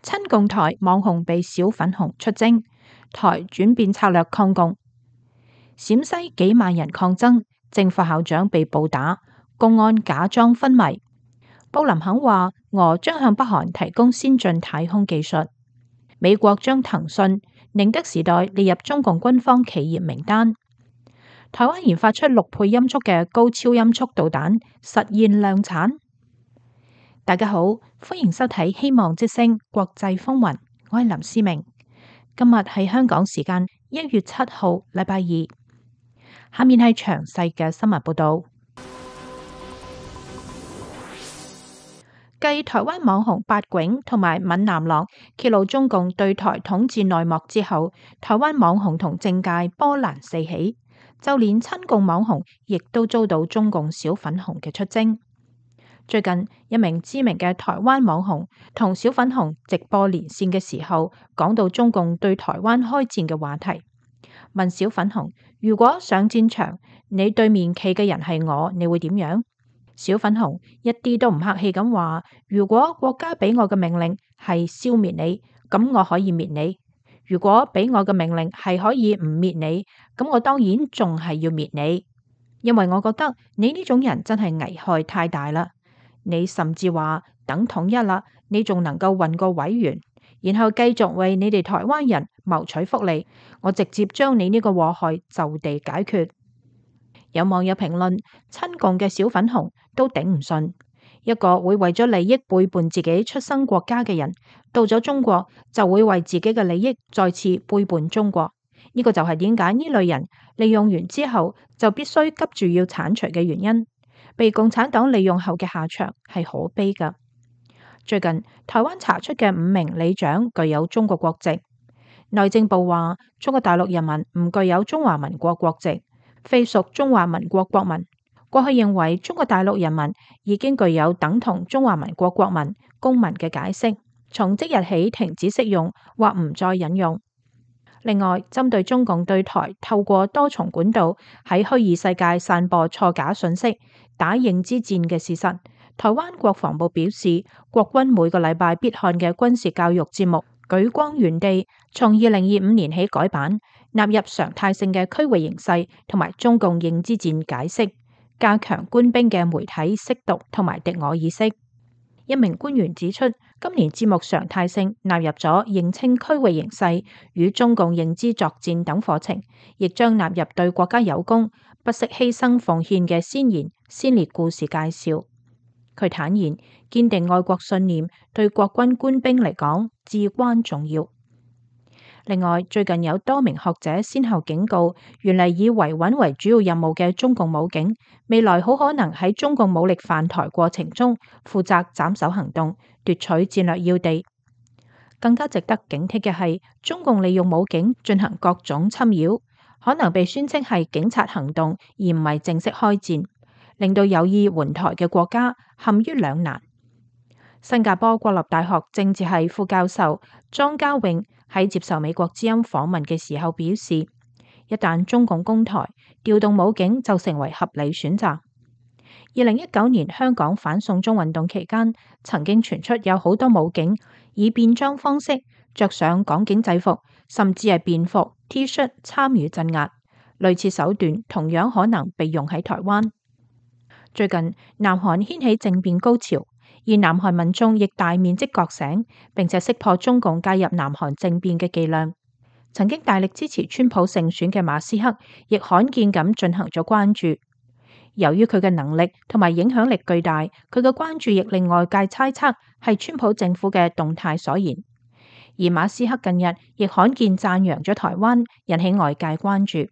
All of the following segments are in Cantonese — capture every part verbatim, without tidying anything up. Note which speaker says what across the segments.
Speaker 1: 親共台網紅被小粉紅出征，台轉變策略抗共。陝西幾萬人抗爭，正副校長被暴打，公安假裝昏迷。布林肯話俄將向北韓提供先進太空技術。美國將騰訊、寧德時代列入中共軍方企業名單。台灣研發出六倍音速嘅高超音速導彈，實現量產。大家好，歡迎收睇希望之聲國際風雲，我係林思明。今日係香港時間一月七號，禮拜二。下面係詳細嘅新聞報道。繼台灣網紅八囧同埋閩南郎揭露中共對台統治內幕之後，台灣網紅同政界波瀾四起，就連親共網紅亦都遭到中共小粉紅嘅出征。最近一名知名嘅台灣網紅同小粉紅直播連線嘅時候，講到中共對台灣開戰嘅話題，問小粉紅：如果上戰場，你對面企嘅人係我，你會點樣？小粉紅一啲都唔客氣咁話：如果國家俾我嘅命令係消滅你，咁我可以滅你；如果俾我嘅命令係可以唔滅你，咁我當然仲係要滅你，因為我覺得你呢種人真係危害太大啦。你甚至話等統一啦，你仲能夠混個委員，然後繼續為你哋台灣人謀取福利，我直接將你呢個禍害就地解決。有網友評論：親共嘅小粉紅都頂唔順，一個會為咗利益背叛自己出生國家嘅人，到咗中國就會為自己嘅利益再次背叛中國。呢個就係點解呢類人利用完之後就必須急住要鏟除嘅原因。被共產黨利用後嘅下場係可悲㗎。最近台灣查出嘅五名里長具有中國國籍，內政部話中國大陸人民唔具有中華民國國籍，非屬中華民國國民。過去認為中國大陸人民已經具有等同中華民國國民公民嘅解釋，從即日起停止適用或唔再引用。另外，針對中共對台透過多重管道喺虛擬世界散播錯假信息、打認知戰嘅事實，台灣國防部表示，國軍每個禮拜必看嘅軍事教育節目《舉光原地》，從二零二五年起改版，納入常態性嘅區域形勢同埋中共認知戰解釋，加強官兵嘅媒體識讀同埋敵我意識。一名官員指出，今年節目常態性納入咗認清區域形勢與中共認知作戰等課程，亦將納入對國家有功、不惜犧牲奉獻嘅先賢先烈故事介紹。佢坦言，堅定愛國信念對國軍官兵嚟講至關重要。另外，最近有多名學者先後警告，原嚟以維穩為主要任務嘅中共武警，未來好可能喺中共武力犯台過程中負責斬首行動，奪取戰略要地。更加值得警惕嘅係，中共利用武警進行各種侵擾，可能被宣稱係警察行動，而唔係正式開戰，令到有意援台嘅國家陷於兩難。新加坡國立大學政治系副教授莊家穎喺接受美國之音訪問嘅時候表示，一旦中共攻台，調動武警就成為合理選擇。二零一九年香港反送中運動期間，曾經傳出有好多武警以便裝方式着上港警制服，甚至係便服 T 恤參與鎮壓，類似手段同樣可能被用喺台灣。最近南韓掀起政變高潮，而南韓民眾亦大面積覺醒，並且識破中共介入南韓政變嘅伎倆。曾經大力支持川普勝選嘅馬斯克，亦罕見咁進行咗關注。由於佢嘅能力同埋影響力巨大，佢嘅關注亦令外界猜測係川普政府嘅動態所言。而馬斯克近日亦罕見讚揚咗台灣，引起外界關注。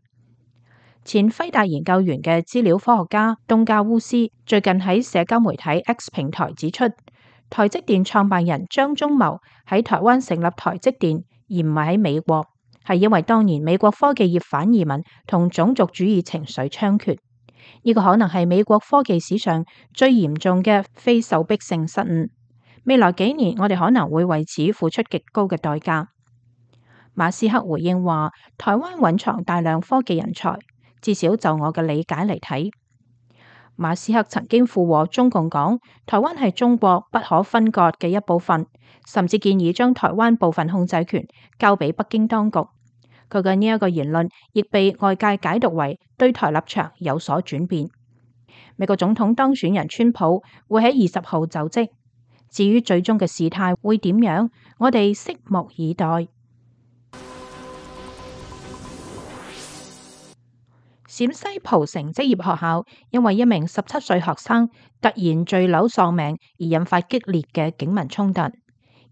Speaker 1: 前輝達研究員嘅資料科學家東加烏斯最近喺社交媒體 X 平台指出，台積電創辦人張忠謀喺台灣成立台積電，而唔係喺美國，係因為當年美國科技業反移民同種族主義情緒猖獗。呢個可能係美國科技史上最嚴重嘅非受迫性失誤。未來幾年，我哋可能會為此付出極高嘅代價。馬斯克回應話，台灣蘊藏大量科技人才，至少就我嘅理解嚟睇。馬斯克曾經附和中共講，台灣係中國不可分割嘅一部分，甚至建議將台灣部分控制權交俾北京當局。佢嘅呢一個言論亦被外界解讀為對台立場有所轉變。美國總統當選人川普會喺二十號就職，至於最終嘅事態會點樣，我哋拭目以待。陝西蒲城職業學校因為一名十七歲學生突然墜樓喪命而引發激烈嘅警民衝突，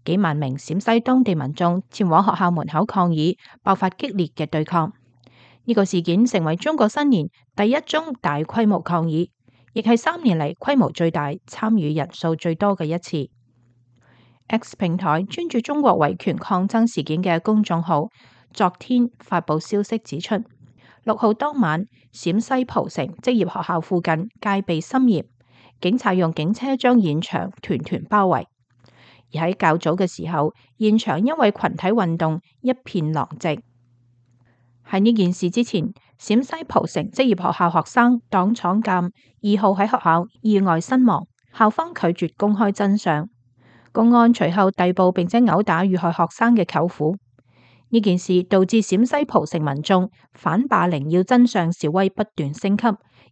Speaker 1: 幾萬名陝西當地民眾前往學校門口抗議，爆發激烈嘅對抗。呢個事件成為中國新年第一宗大規模抗議，亦係三年嚟規模最大、參與人數最多嘅一次。X 平台專注中國維權抗爭事件嘅公眾號昨天發佈消息指出，六號當晚，陝西蒲城職業學校附近戒備森嚴，警察用警車將現場團團包圍。而喺較早嘅時候，現場因為群體運動一片狼藉。喺呢件事之前，陝西蒲城職業學校學生黨闖鑑二號喺學校意外身亡，校方拒絕公開真相。公安隨後逮捕並且毆打遇害學生嘅舅父。呢件事導致陝西蒲城民眾反霸凌要真相示威不斷升級，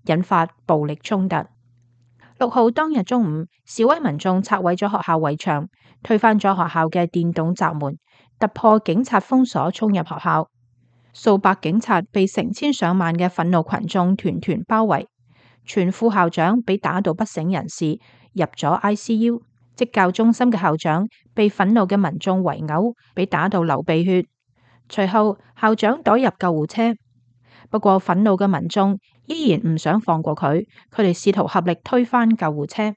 Speaker 1: 引發暴力衝突。六號當日中午，示威民眾拆毀咗學校圍牆，推翻咗學校嘅電動閘門，突破警察封鎖，衝入學校。數百警察被成千上萬嘅憤怒群眾團團包圍，全副校長被打到不省人事，入咗 I C U。職教中心嘅校長被憤怒嘅民眾圍毆，被打到流鼻血。隨後校長躲入救護車，不過憤怒嘅民眾依然唔想放過佢，佢哋試圖合力推翻救護車。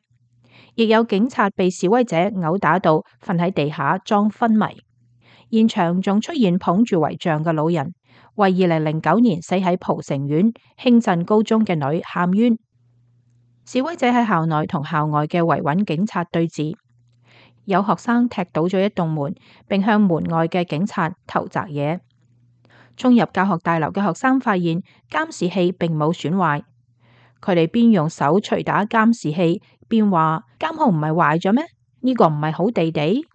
Speaker 1: 亦有警察被示威者毆打到瞓喺地下裝昏迷。現場仲出現捧住遺像嘅老人，為二零零九年死喺蒲城縣興鎮高中嘅女喊冤。示威者喺校內同校外嘅維穩警察對峙。有學生踢倒咗一棟門，並向門外嘅警察投擲嘢。衝入教學大樓嘅學生發現監視器並冇損壞，佢哋邊用手捶打監視器，邊話監控唔係壞咗咩？呢個唔係好地地。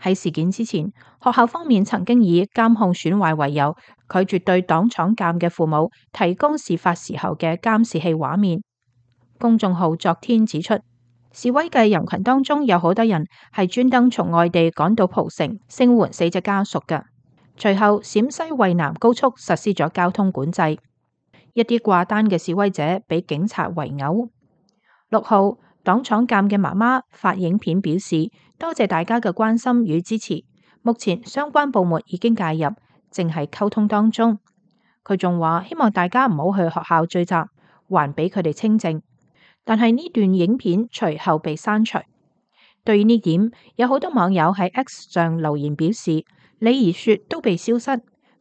Speaker 1: 喺事件之前，學校方面曾經以監控損壞為由，拒絕對黨闖鑑嘅父母提供事發時候嘅監視器畫面。公眾號昨天指出，示威嘅人群當中有好多人係專登從外地趕到蒲城聲援死者家屬嘅。隨後，陝西渭南高速實施咗交通管制，一啲掛單嘅示威者俾警察圍毆。六號，黨闖鑑嘅媽媽發影片表示，多謝大家嘅關心與支持，目前相關部門已經介入，正係溝通當中。佢仲話希望大家唔好去學校聚集，還俾佢哋清靜。但係呢段影片隨後被刪除。對於呢點，有好多網友喺 X 上留言表示，李兒雪都被消失，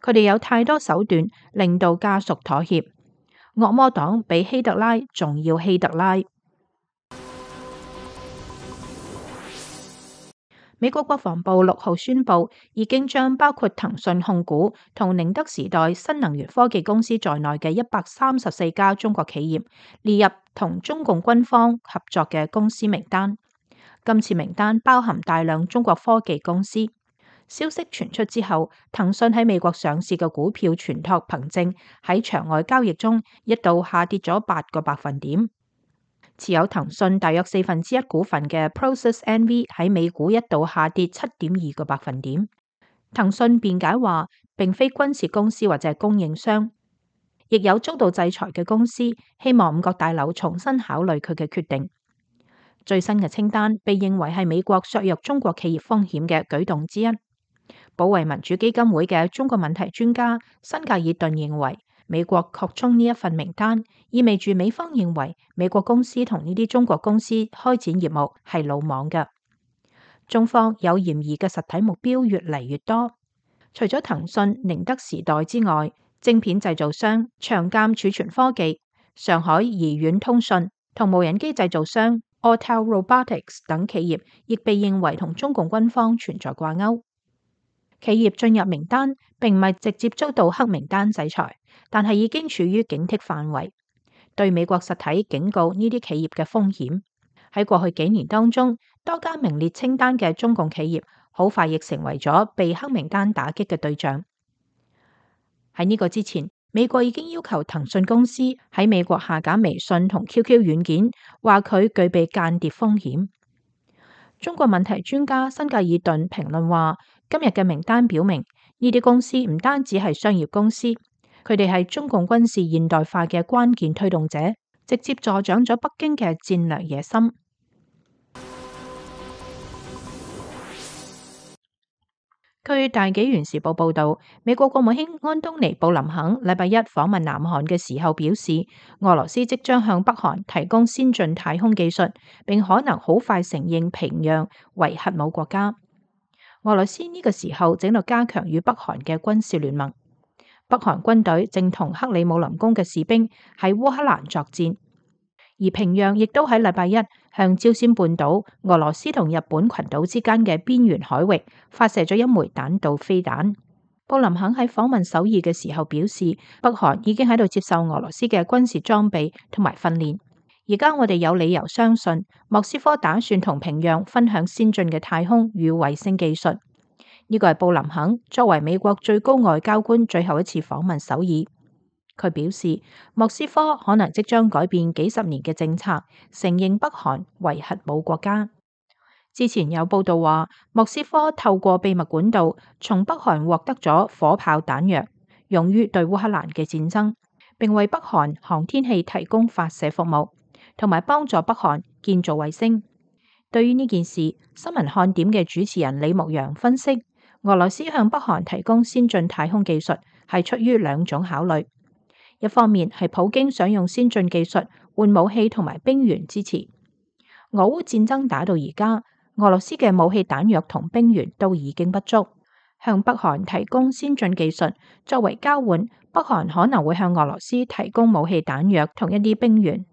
Speaker 1: 佢哋有太多手段令到家屬妥協。惡魔黨比希特拉仲要希特拉。美國國防部六號宣布，已經將包括騰訊控股同寧德時代新能源科技公司在內嘅一百三十四家中國企業列入同中共軍方合作嘅公司名單。今次名單包含大量中國科技公司。消息傳出之後，騰訊喺美國上市嘅股票存託憑證喺場外交易中一度下跌咗八個百分點。持有騰訊大約四分之一股份嘅 Process N V 喺美股一度下跌七點二個百分點。騰訊辯解話，並非軍事公司或者係供應商，亦有遭到制裁嘅公司，希望五角大樓重新考慮佢嘅決定。最新嘅清單被認為係美國削弱中國企業風險嘅舉動之一。保衛民主基金會嘅中國問題專家辛格爾頓認為，美國擴充呢一份名單，意味住美方認為美國公司同呢啲中國公司開展業務係魯莽嘅。中方有嫌疑嘅實體目標越嚟越多，除咗騰訊、寧德時代之外，晶片製造商長鑑儲存科技、上海怡遠通訊同無人機製造商 Autel Robotics 等企業，亦被認為同中共軍方存在掛鈎。企業進入名單並唔係直接遭到黑名單制裁，但係已經處於警惕範圍。對美國實體警告呢啲企業嘅風險。喺過去幾年當中，多家名列清單嘅中共企業好快亦成為咗被黑名單打擊嘅對象。喺呢個之前，美國已經要求騰訊公司喺美國下架微信同 Q Q 軟件，話佢具備間諜風險。中國問題專家辛格爾頓評論話，今日嘅名單表明，呢啲公司唔單止係商業公司，佢哋係中共軍事現代化嘅關鍵推動者，直接助長咗北京嘅戰略野心。據大紀元時報報道，美國國務卿安東尼布林肯禮拜一訪問南韓嘅時候表示，俄羅斯即將向北韓提供先進太空技術，並可能好快承認平壤為核武國家。俄羅斯呢個時候正喺度加強與北韓嘅軍事聯盟，北韓軍隊正同克里姆林宮嘅士兵喺烏克蘭作戰。而平壤亦都喺禮拜一向朝鮮半島、俄羅斯同日本群島之間嘅邊緣海域發射咗一枚彈道飛彈。布林肯喺訪問首爾嘅時候表示，北韓已經喺度接受俄羅斯嘅軍事裝備同埋訓練。而家我哋有理由相信，莫斯科打算同平壤分享先進嘅太空與衛星技術。呢個係布林肯作為美國最高外交官最後一次訪問首爾。佢表示，莫斯科可能即將改變幾十年嘅政策，承認北韓為核武國家。之前有報道話，莫斯科透過秘密管道從北韓獲得咗火炮彈藥，用於對烏克蘭嘅戰爭，並為北韓航天器提供發射服務，同埋幫助北韓建造衛星。對於呢件事，新聞看點嘅主持人李牧陽分析，俄羅斯向北韓提供先進太空技術係出於兩種考慮。一方面係普京想用先進技術換武器同埋兵員支持。俄烏戰爭打到而家，俄羅斯嘅武器彈藥同兵員都已經不足，向北韓提供先進技術作為交換，北韓可能會向俄羅斯提供武器彈藥同一啲兵員。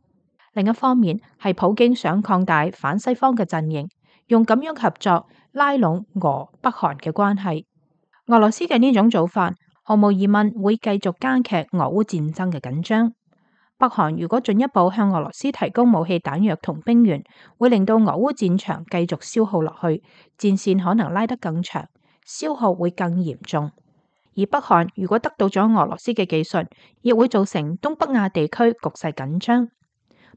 Speaker 1: 另一方面係普京想擴大反西方嘅陣營，用咁樣合作拉攏俄北韓嘅關係。俄羅斯嘅呢種做法，毫無疑問會繼續加劇俄烏戰爭嘅緊張。北韓如果進一步向俄羅斯提供武器彈藥同兵員，會令到俄烏戰場繼續消耗落去，戰線可能拉得更長，消耗會更嚴重。而北韓如果得到咗俄羅斯嘅技術，亦會造成東北亞地區局勢緊張。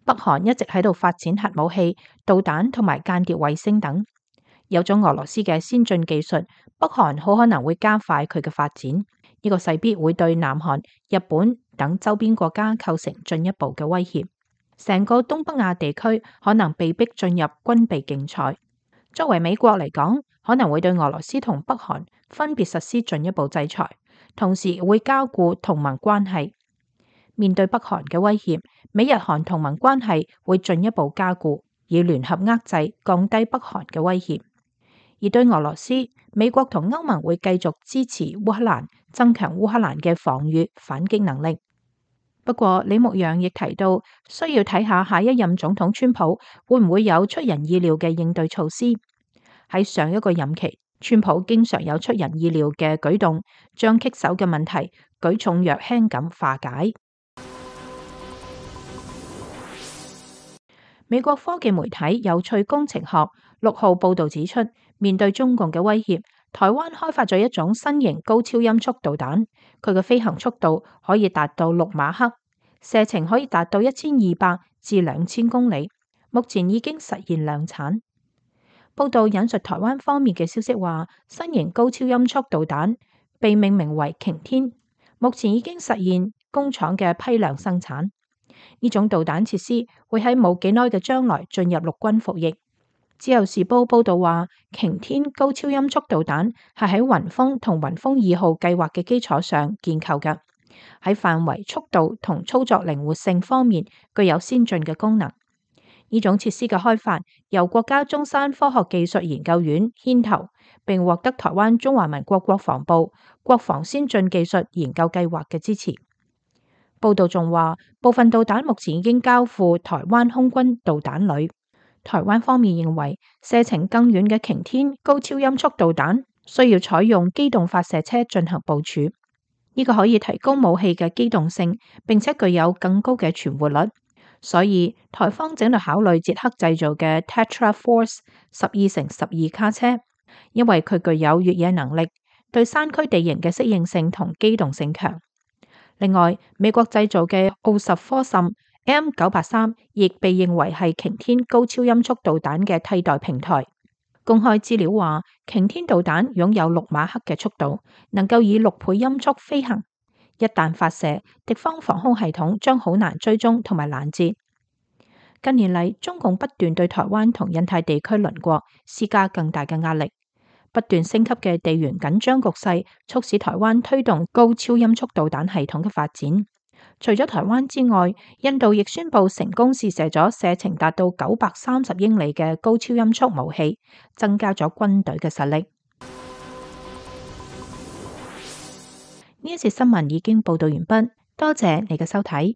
Speaker 1: 北韓一直喺度發展核武器、導彈同埋間諜衛星等，有咗俄羅斯嘅先進技術，北韓好可能會加快佢嘅發展。呢個勢必會對南韓、日本等周邊國家構成進一步嘅威脅，成個東北亞地區可能被逼進入軍備競賽。作為美國嚟講，可能會對俄羅斯同北韓分別實施進一步制裁，同時會加固同盟關係。面對北韓嘅威脅，美日韓同盟關係會進一步加固，以聯合遏制、降低北韓嘅威脅。而對俄羅斯，美國同歐盟會繼續支持烏克蘭，增強烏克蘭嘅防禦反擊能力。不過，李牧陽亦提到，需要睇下下一任總統川普會唔會有出人意料嘅應對措施。喺上一個任期，川普經常有出人意料嘅舉動，將棘手嘅問題舉重若輕咁化解。美國科技媒體有趣工程學六號報道指出，面對中共嘅威脅，台灣開發咗一種新型高超音速導彈，佢嘅飛行速度可以達到六馬赫，射程可以達到一千二百至兩千公里，目前已經實現量產。報道引述台灣方面嘅消息話，新型高超音速導彈被命名為擎天，目前已經實現工廠嘅批量生產。呢種導彈設施會喺冇幾耐嘅將來進入陸軍服役。自由時報報道話，擎天高超音速導彈係喺雲峰同雲峰二號計劃嘅基礎上建構嘅，喺範圍、速度同操作靈活性方面具有先進嘅功能。呢種設施嘅開發由國家中山科學技術研究院牽頭，並獲得台灣中華民國國防部國防先進技術研究計劃嘅支持。報道仲話，部分導彈目前已經交付台灣空軍導彈旅。台灣方面認為，射程更遠嘅擎天高超音速導彈需要採用機動發射車進行部署。呢呢個可以提高武器嘅機動性，並且具有更高嘅存活率。所以台方正在考慮捷克製造嘅 Tetra Force 十二乘十二卡車，因為佢具有越野能力，對山區地形嘅適應性同機動性強。另外，美國製造嘅奧什科森 M 九八三亦被認為係擎天高超音速導彈嘅替代平台。公開資料話，擎天導彈擁有六馬赫嘅速度，能夠以六倍音速飛行。一旦發射，敵方防空系統將好難追蹤同埋攔截。近年嚟，中共不斷對台灣同印太地區鄰國施加更大嘅壓力，不斷升級嘅地緣緊張局勢促使台灣推動高超音速導彈系統嘅發展。除咗台灣之外，印度亦宣布成功試射咗射程達到九百三十英里嘅高超音速武器，增加咗軍隊嘅實力。呢一節新聞已經報道完畢，多謝你嘅收睇。